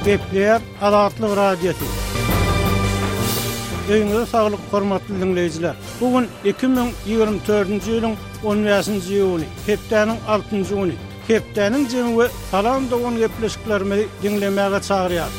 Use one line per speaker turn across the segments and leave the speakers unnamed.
Gepleýär Azatlyk Radiosy. Öýüňize saglyk hormatly diňleýjiler. Bu gün 2024-nji ýylyň 15-nji iýuny, hepdäniň altynjy güni. Hepdäniň jemi we Salam dogan gepleşiklerimizi diňlemäge çagyrýar.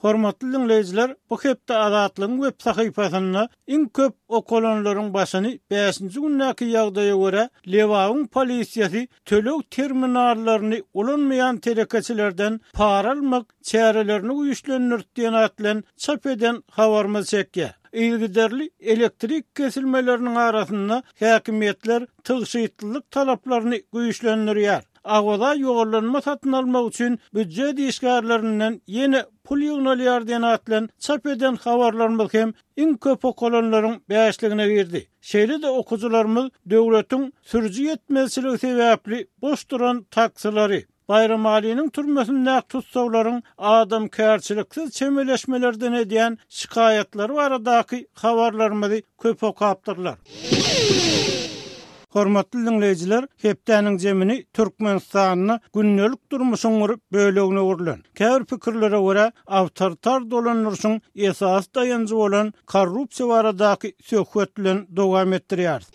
Hormatly diňleýjiler, bu hepde Azatlygyň web sahypasynda iň köp okalanlaryň başyny bäşinji gündäki ýagdaýa görä Lebabyň polisiýasy töleg terminallaryny ulanmaýan telekeçilerden para almak çärelerini güýçlendirdi diýen at bilen çap eden habarymyz çekýär. Yzygiderli elektrik kesilmeleriniň arasynda häkimiýetler tygşytlylyk talaplaryny güýçlendirýär. Awaza ýollanma satyn almak üçin býujet işgärlerinden ýene pul ýygnalýar diýen at bilen çap eden habarlarymyz hem iň köp okalanlaryň bäşligine girdi. Şeýle-de okyjylarymyz döwletiň sürüji ýetmezçiligi sebäpli boş duran taksilary, Baýramalynyň türmesindäki tussaglaryň adamkärçiliksiz çemeleşmelerden edýän şikaýatlary baradaky habarlarymyzy köp okapdyrlar. Hormatly diňleýjiler, hepdäniň jemini Türkmenistanda gündelik durmuşyň bir bölegine öwrülen, käbir pikirlere görä, awtoritar dolandyryşyň esasy daýanjy bolan korrupsiýa baradaky söhbet bilen dowam etdirýäris.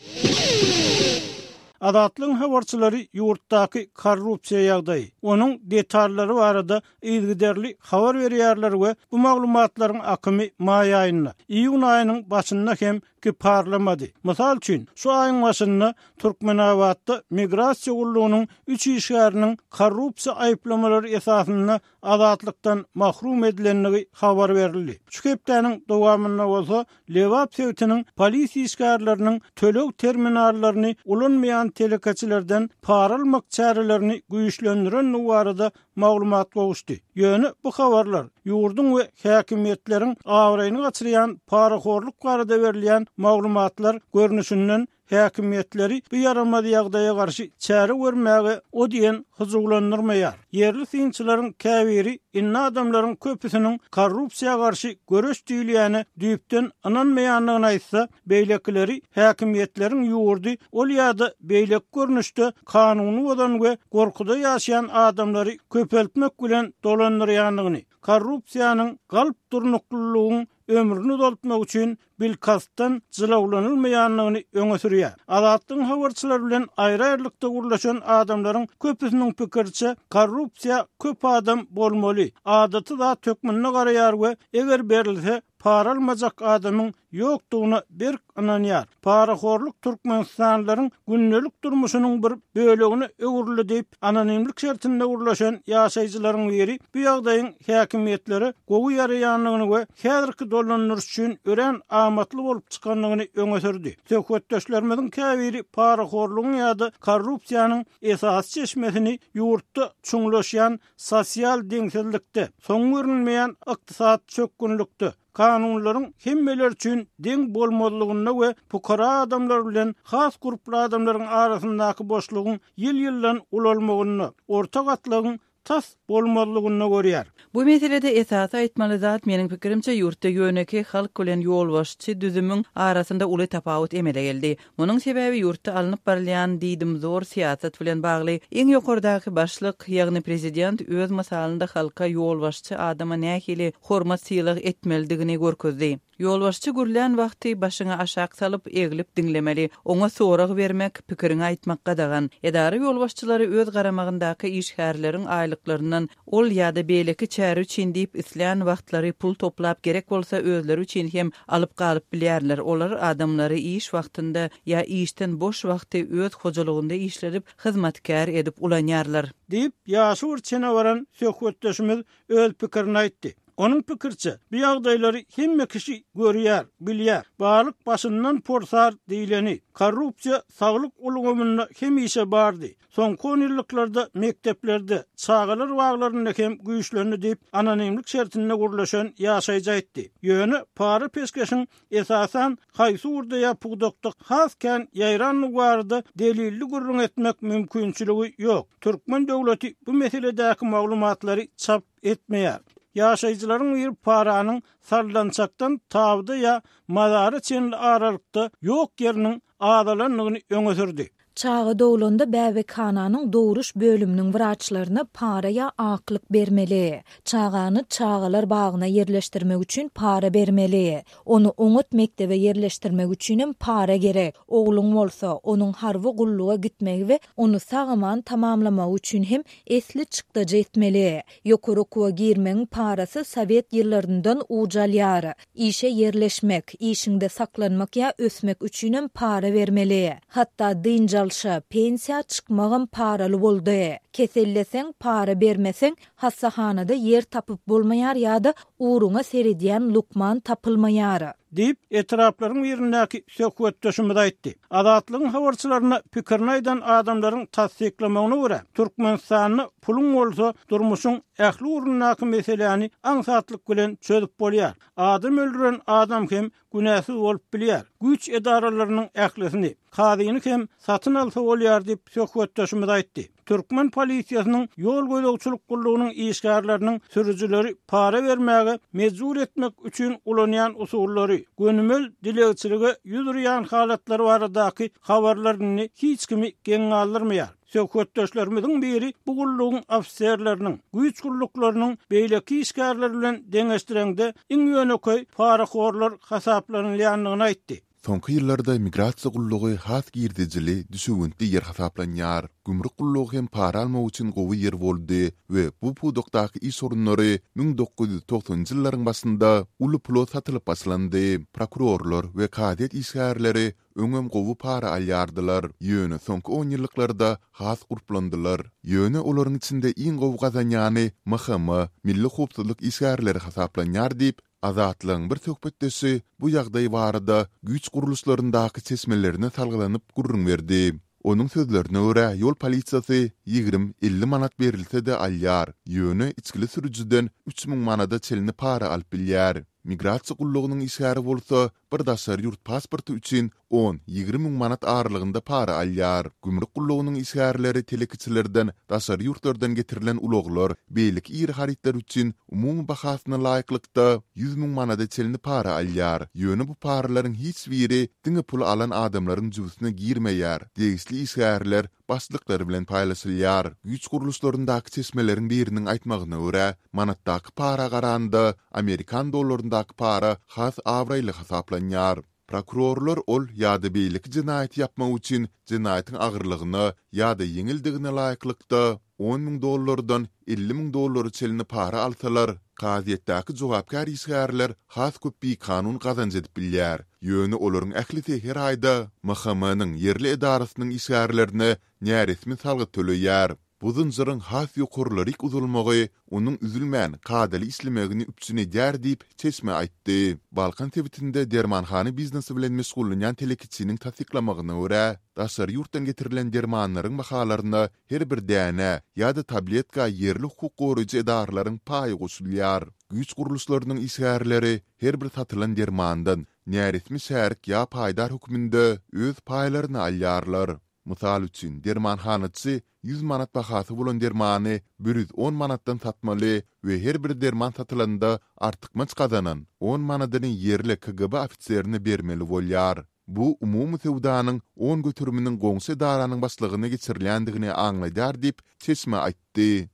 Azatlygyň habarçylary ýurtdaky korrupsiýa ýagdaýy, onuň detallary barada yzygiderli habar berýärler we bu maglumatlaryň akymy maý aýynda, iýun aýynyň başynda hem kiparlamady. Mysal üçin, şu aýyň başynda Türkmenabatda Migrasiýa gullugynyň üç işgäriniň korrupsiýa aýyplamalary esasynda azatlykdan mahrum edilendigi habar berildi. Şu hepdäniň dowamynda bolsa Lebap sebitiniň polisiýa işgärleriniň töleg terminallaryny ulanmaýan telekeçilerden para almak çärelerini güýçlendirendigi barada maglumat gowuşdy. Ýöne bu habarlar ýurduň we häkimiýetleriň abraýyny gaçyrýan parahorluk barada berilýän maglumatlar görnüşinden häkimiýetleri bu ýaramaz ýagdaýa garşy çäre görmäge o diýen hyjuwlandyrmaýar. Ýerli synçylaryň käbiri indi adamlaryň köpüsiniň korrupsiýa garşy göreş diýilýäne düýpden ynanmaýandygyny aýtsa, beýlekileri häkimiýetleriň ýurdy ol ýa-da beýleki görnüşde kanuny bozan we gorkuda ýaşaýan adamlary köpeltmek bilen dolandyrýandygyny, korrupsiýanyň galp durnuklylygyň ömrüni uzaltmak üçin bilkastdan jylawlanylmaýandygyny öňe sürýär. Azatlygyň habarçylary bilen aýry-aýrylykda gürleşen adamlaryň köpüsiniň pikiriçe, korrupsiýa köp adam bolmaly, adaty zat hökmünde garaýar we eger berilse, para almajak adamyň ýokdugyna berk ynanýar. Parahorluk türkmenistanlylaryň gündelik durmuşynyň bir bölegine öwrüldi diýip, anonimlik şertinde gürleşen ýaşaýjylaryň biri bu ýagdaýyň häkimiýetlere gowy ýaraýandygyny we häzirki dolandyryş üçin örän amatly bolup çykandygyny öňe sürdi. Söhbetdeşlerimiziň käbiri parahorlugyň ýa-da korrupsiýanyň esasy çeşmesini ýurtda çuňlaşýan sosial deňsizlikde, soňy görünmeýän ykdysady çökgünlikde, kanunlaryň hemmeler üçin deň bolmazlygynda we pukara adamlar bilen has gurply adamlaryň arasyndaky boşlugyň ýyl-ýyldan ulalmagynda, orta gatlagyň tas bolmazlygynda görýär.
Bu meselede esasy aýtmaly zat, meniň pikirimçe, ýurtda ýönekeý halk bilen ýolbaşçy düzümiň arasynda uly tapawut emele geldi. Munuň sebäbi ýurtda alnyp barylýan diýdimzor syýasat bilen bagly. Iň ýokardaky başlyk, ýagny prezident öz mysalynda halka ýolbaşçy adama nähili hormat-sylag etmelidigini görkezdi. Ýolbaşçy gürlän wagty başyňy aşak salyp, eglip diňlemeli. Oňa sorag bermek, pikiriňi aýtmak gadagan. Edara ýolbaşçylary öz garamagyndaky işgärleriň aýlyklaryndan Ol ýa-da beýleki çäre üçin diýip islän wagtlary pul toplap gerek bolsa özleri üçin hem alyp galyp bilýärler. Olar adamlary iş wagtynda ýa işden boş wagty öz hojalygynda işledip hyzmatkär edip ulanýarlar.
Diýip, ýaşy bir çene baran söhbetdeşimiz öz pikirini aýtdy. Onuň pikiriçe, bu ýagdaýlary hemme kişi görýär, bilýär. Balyk başyndan porsar diýleni. Korrupsiýa saglyk ulgamynda hemişe bardy. Soňky onýyllyklarda mekdeplerde, çagalar baglarynda hem güýçlendi diýip, anonimlik şertinde gürleşen ýaşaýjy aýtdy. Ýöne para-peşgeşiň esasan haýsy ugurda ýa pudakda has kän ýaýrandygy barada delilli gürrüň etmek mümkinçiligi ýok. Türkmen döwleti bu meseledäki maglumatlary çap etmeýär. Ýaşaýjylaryň biri paranyň sallançakdan tabyda ýa mazara çenli aralykda ýok ýeriniň azalandygyny öňe sürdi.
Çaga doglanda bäbekhananyň dogruş bölüminiň wraçlaryna para ýa aklyk bermeli. Çagany çagalar bagyna ýerleşdirmek üçin para bermeli. Ony oňat mekdebe ýerleşdirmek üçinem para gerek. Ogluň bolsa, onuň harby gulluga gitmegi we ony sag-aman tamamlamagy üçin hem esli çykdajy etmeli. Ýokary okuwa girmegiň parasy sowet ýyllaryndan uj alýar. Işe ýerleşmek, işiňde saklanmak ýa ösmek üçinem para bermeli. Hatda dynç alşa, pensiýa çykmagam paraly boldy. Keselleseň, para bermeseň, hassahanada ýer tapyp bolmaýar ýa-da ugruňa seredýän lukman tapylmaýar.
Diýip, etraplaryň birindäki söhbetdeşimiz aýtdy. Azatlygyň habarçylaryna pikirini aýdan adamlaryň tassyklamagyna görä, Türkmenistanda puluň bolsa, durmuşyň ähli ugrundaky meseläni aňsatlyk bilen çözüp bolýar. Adam öldüren adam hem günäsiz bolup bilýär. Güýç edaralarynyň ählisini, kazyny hem satyn alsa bolýar diýip, söhbetdeşimiz aýtdy. Türkmen polisiýasynyň ýol gözegçilik gullugynyň işgärleriniň sürüjileri para bermäge mejbur etmek üçin ulanýan usullary, gönümel dilegçilige ýüz urýan halatlary baradaky habarlar indi hiç kimi geň galdyrmaýar. Söhbetdeşlerimiziň biri bu gullugyň ofiserleriniň, güýç gulluklarynyň beýleki işgärler bilen deňeşdireňde iň ýönekeý parahorlar hasaplanylýandygyny aýtdy.
Soňky ýyllarda migrasiýa gullugy has girdejili, düşewüntli ýer hasaplanýar. Gümrük gullugy hem para almak üçin gowy ýer boldy we bu pudakdaky iş orunlary 1990-njy ýyllaryň başynda uly pula satylyp başlandy. Prokurorlar we kazyýet işgärleri öňem gowy para alýardylar, ýöne soňky onýyllyklarda has gurplandylar. Ýöne olaryň içinde iň gowy gazanýany MHM, Milli howpsuzlyk işgärleri hasaplanýar diýip, Azatlygyň bir söhbetdeşi bu ýagdaý barada güýç gurluşlaryndaky çeşmelerine salgylanyp gürrüň berdi. Onuň sözlerine görä, ýol polisiýasy 20, 50 manat berilse-de alýar, ýöne içgili sürüjiden 3000 manada çenli para alyp bilýär. Migrasiýa gullugynyň işgäri bolsa bir daşary ýurt pasporty üçin on, 20 müň manat aralygynda para alýar. Gümrük gullugynyň işgärleri telekeçilerden daşary ýurtlardan getirilen ulaglar, beýleki iri harytlar üçin umumy bahasyna laýyklykda 100 müň manada çenli para alýar. Ýöne bu paralaryň hiç biri diňe pul alan adamlaryň jübüsine girmeýär, degişli işgärler başlyklar bilen paýlaşylýar. Güýç gurluşlaryndaky çeşmeleriň biriniň aýtmagyna görä, manatdaky para garanda, amerikan dollaryndaky para has abraýly hasaplanýar. Prokurorlar ol ýa-da beýleki jenaýaty ýapmak üçin jenaýatyň agyrlygyna ýa-da ýeňildigine laýyklykda on müň dollardan 50 müň dollara çenli para alsalar, kazyýetdäki jogapkär işgärler has köp bikanun gazanç edip bilýär. Ýöne olaryň ählisi her aýda MHM-niň ýerli edarasynyň işgärlerine näresmi salgyt töleýär. Bu zynjyryň has ýokarlaryk uzalmagy onuň üzülmän, kadaly işlemegini üpjün edýär diýip, çeşme aýtdy. Balkan sebitinde dermanhana biznesi bilen meşgullanýan telekeçiniň tassyklamagyna görä, daşary ýurtdan getirilen dermanlaryň bahalaryna her bir dänä ýa-da tabletka ýerli hukuk goraýjy edaralaryň paýy goşulýar. Güýç gurluşlarynyň işgärleri her bir satylan dermandan näresmi şärik ýa paýdar hökmünde öz paýlaryny alýarlar. Mysal üçin, dermanhanaçy 100 manat bahasy bolan dermany 110 manatdan satmaly we her bir derman satylanda artykmaç gazanan on manadyny ýerli KGB ofiserine bermeli bolýar. Bu umumy söwdanyň on göteriminiň goňşy edaranyň başlygyna geçirilýändigini aňladýar diýip, çeşme aýtdy.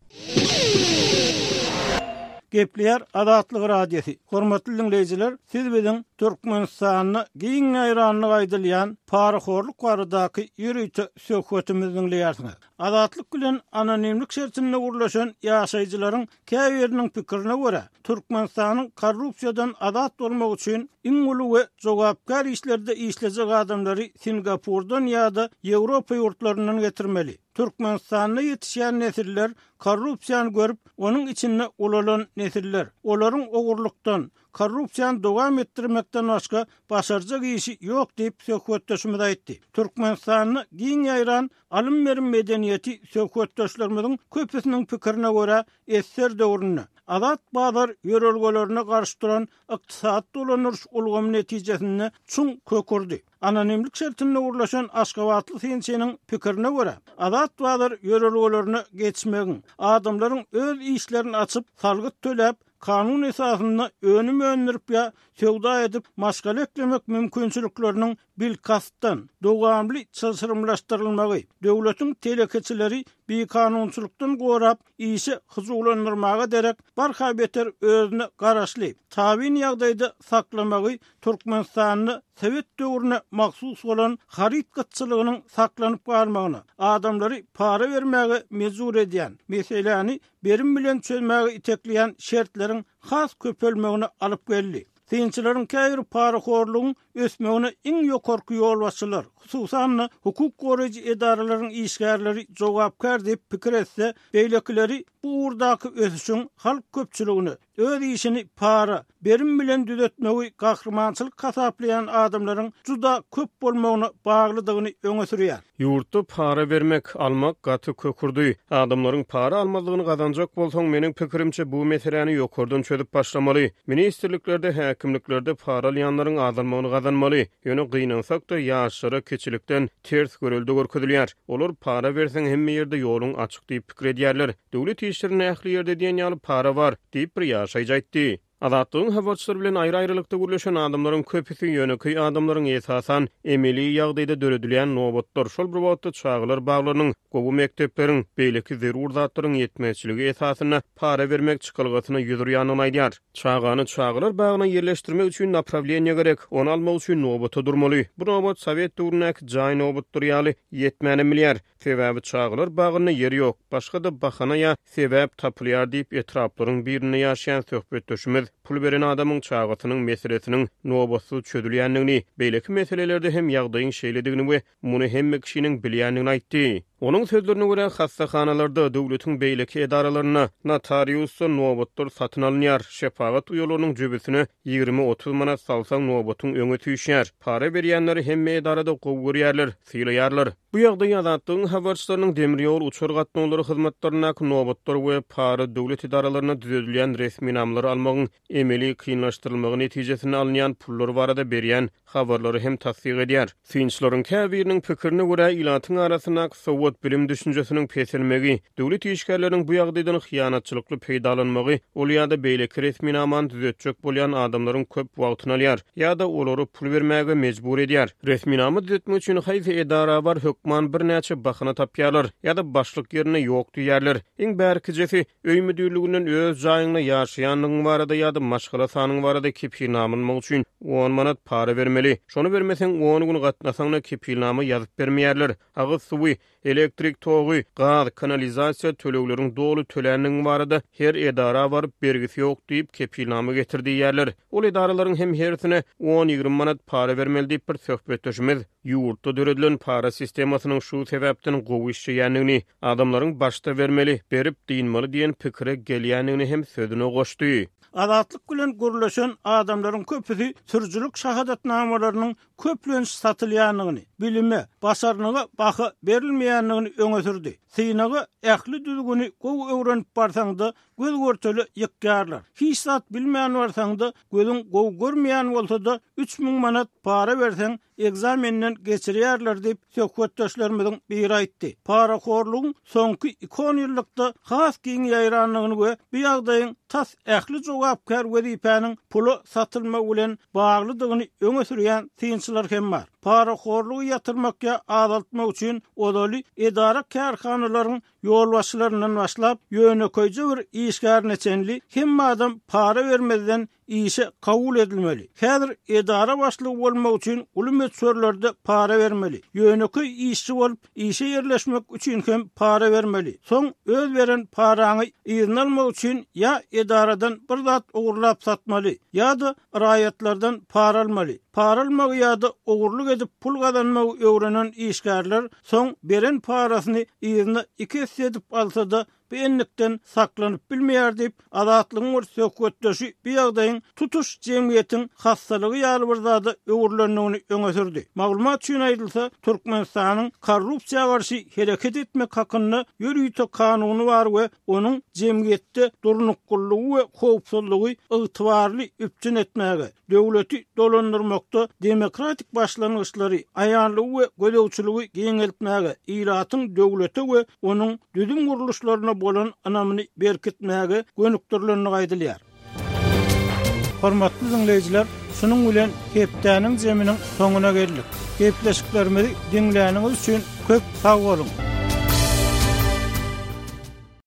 Gepleýär Azatlyk Radiosy. Hormatly diňleýjiler, siz biziň Türkmenistanda giň ýaýranlygy aýdylýan parahorluk baradaky ýörite söhbetimizi diňleýärsiňiz. Azatlyk bilen anonimlik şertinde gürleşen ýaşaýjylaryň käbiriniň pikirine görä, Türkmenistanyň korrupsiýadan azat bolmagy üçin iň uly we jogapkär işlerde işlejek adamlary Singapurdan ýa-da Ýewropa ýurtlaryndan getirmeli. Türkmenistanda ýetişýän nesiller korrupsiýany görüp, onuň içinde ulalan nesiller. Olaryň ogurlykdan, korrupsiýany dowam etdirmekden başga başarjak işi ýok diýip, söhbetdeşimiz aýtdy. Türkmenistanda giň ýaýran alym-berim medeniýeti söhbetdeşlerimiziň köpüsiniň pikirine görä, ssr döwründe, azat bazar ýörelgelerine garşy duran ykdysady dolandyryş ulgamy netijesinde çuň kök urdy. Anonimlik şertinde gürleşen aşgabatly synçynyň pikirine görä, azat bazar ýörelgelerine geçmegiň, adamlaryň öz işlerini açyp, salgyt töläp, kanun esasynda önüm öndürip ýa söwda edip maşgala eklemek mümkinçilikleriniň bilkastdan, dowamly çylşyrymlaşdyrylmagy, döwletiň telekeçileri bikanunçylykdan gorap, işe hyjuwlandyrmaga derek, barha beter özüne garaşly, tabyn ýagdaýda saklamagy Türkmenistanda sowet döwrüne mahsus bolan haryt gytçylygynyň saklanyp galmagyna, adamlary para bermäge mejbur edýän, meseläni berim bilen çözmäge itekleýän şertleriň has köpelmegine alyp geldi. Synçylaryň käbiri parahorlugyň ösmegine iň ýokarky ýolbaşçylar, hususan-da, hukuk goraýjy edaralaryň işgärleri jogapkär diýip pikir etse, beýlekileri bu ugurdaky ösüşiň halk köpçüligine, öz işini para, berim bilen düzetmegi gahrymançylyk hasaplaýan adamlaryň juda köp bolmagyna baglydygyny öňe sürýär.
Ýurtda para bermek, almak gaty kökürdi. Adamlaryň para almazlygyny gazanjak bolsaň, meniň pikirimçe, bu meseläni ýokardan çözüp başlamaly. Ministrliklerde, häkimliklerde para alýanlaryň azalmagyny gazanmaly. Ýöne gynansak-da, ýaşlara kiçilikden ters görelde görkezilýär. Olar para berseň hemme ýerde ýoluň açyk diýip pikir edýärler. Döwlet işlerinde ähli ýerde diýen ýaly para bar, diýip, bir ýaşaýjy aýtdy. Azatlygyň habarçylary bilen aýry-aýrylykda gürleşen adamlaryň köpüsi ýönekeý adamlaryň esasan emeli ýagdaýda döredilýän nobatlar, şol bir wagtda çagalar baglarynyň, gowy mekdepleriň, beýleki zerur zatlaryň ýetmezçiligi esasynda para bermek çykalgasyna ýüz urýandygyny aýdýar. Çagany çagalar bagyna ýerleşdirmek üçin naprawleniýe gerek, ony almak üçin nobata durmaly. Bu nobat sowet döwründäki jaý nobatlary ýaly ýetmänem bilýär. Sebäbi çagalar bagynda ýer ýok, başga-da bahana ýa sebäp tapylýar diýip, etraplaryň birinde ýaşaýan söhbetdeşimiz pul beren adamyň çagasynyň meselesiniň nobatsyz çözülýändigini, beýleki meselelerde hem ýagdaýyň şeýledigini we muny hemme kişiniň bilýändigini aýtdy. Onuň sözlerine görä, hassahanalarda, döwletiň beýleki edaralarynda, notariusda nobatlar satyn alynýar, şepagat uýalarynyň jübüsine 20-30 manat salsaň nobatyň öňe süýşýär, para berýänleri hemme edarada gowy görýärler, sylaýarlar. Bu ýagdaý Azatlygyň habarçylarynyň demir ýol, uçar gatnawlary hyzmatlaryndaky nobatlar we para döwlet edaralarynda düzedilýän resminamalary almagyň emeli kynlaşdyrylmagy netijesinde alynýan pullar barada berýän habarlary hem tassyk edýär. Synçylaryň käbiriniň pikirine görä, ilatyň arasyndaky sowat, bilim düşünjesiniň peselmegi, döwlet işgärleriniň bu ýagdaýdan hyýanatçylykly peýdalanmagy ol ýa-da beýleki resminamany düzetjek bolýan adamlaryň köp wagtyny alýar ýa-da olary pul bermäge mejbur edýär. Resminama düzetmek üçin haýsy edara bar, hökman birnäçe bahana tapýarlar ýa-da başlyk ýerinde ýok diýýärler. Iň bärkijesi, öý müdirliginden öz jaýyňda ýaşaýandygyň barada ýa-da maşgala sanyň barada kepilnama almak üçin on manat para bermeli. Şony bermeseň, on gün gatnasaň-da kepilnama ýazyp bermeýärler. Agyz suwy, Elektrik togy, gaz, kanalizasiýa tölegleriň doly töländigiň barada her edara baryp bergisi ýok diýip kepilnama getir diýýärler. Ol edaralaryň hem hersine on-ýigrimi manat para bermeli diýip bir söhbetdeşimiz ýurtda döredilen para sistemasynyň şu sebäpden gowy işleýändigini, adamlaryň başda bermeli, berip dynmaly diýen pikire gelýändigini hem sözüne goşdy.
Azatlyk bilen gürleşen adamlaryň köpüsi sürüjilik şahadatnamalarynyň köplenç satylýandygyny, bilime, başarnyga baha berilmeýändigini öňe sürdi. Synaga ähli düzgüni gowy öwrenip barsaň-da, göz-görtele ýykýarlar. Hiç zat bilmän barsaň-da, gözüň gowy görmeýän bolsa-da, 3000 manat para berseň, ekzamenden geçirýärler diýip, söhbetdeşlerimiziň biri aýtdy. Parahorlugyň soňky iki onýyllykda has giň ýaýrandygyny we bu ýagdaýyň tas ähli jogapkär wezipäniň pula satylmagy bilen baglydygyny öňe sürýän synçylar hem bar. Parahorlugy ýatyrmak ýa azaltmak üçin ozaly edara-kärhanalaryň ýolbaşçylaryndan başlap, ýönekeýje bir işgärine çenli hemme adam para bermezden işe kabul edilmeli. Häzir edara başlygy bolmak üçin uly möçberlerde para bermeli. Ýönekeý işçi bolup işe ýerleşmek üçin hem para bermeli. Soň öz beren paraňy yzyna almak üçin ýa edaradan bir zat ogurlap satmaly, ýa-da raýatlardan para almaly. Para almagy ýa-da ogurlyk edip pul gazanmagy öwrenen işgärler soň beren parasyny yzyna iki esse edip alsa-da bu endikden saklanyp bilmeýär diýip, Azatlygyň bir söhbetdeşi bu ýagdaýyň tutuş jemgyýetiň hassalygy ýaly bir zada öwrülendigini öňe sürdi. Maglumat üçin aýdylsa, Türkmenistanyň Korrupsiýa garşy hereket etmek hakynda ýörite kanuny bar we onuň jemgyýetde durnuklylygy we howpsuzlygy ygtybarly üpjün etmäge, döwleti dolandyrmakda demokratik başlangyçlary, aýanlygy we gözegçiligi giňeltmäge, ilatyň döwlete we onuň düzüm gurluşlaryna bolan ynamyny berkitmäge gönükdirilendigi aýdylýar. Hormatly diňleýjiler, şunuň bilen hepdäniň zeminiň soňuna geldik. Gepleşiklerimizi diňläniňiz üçin köp sag boluň!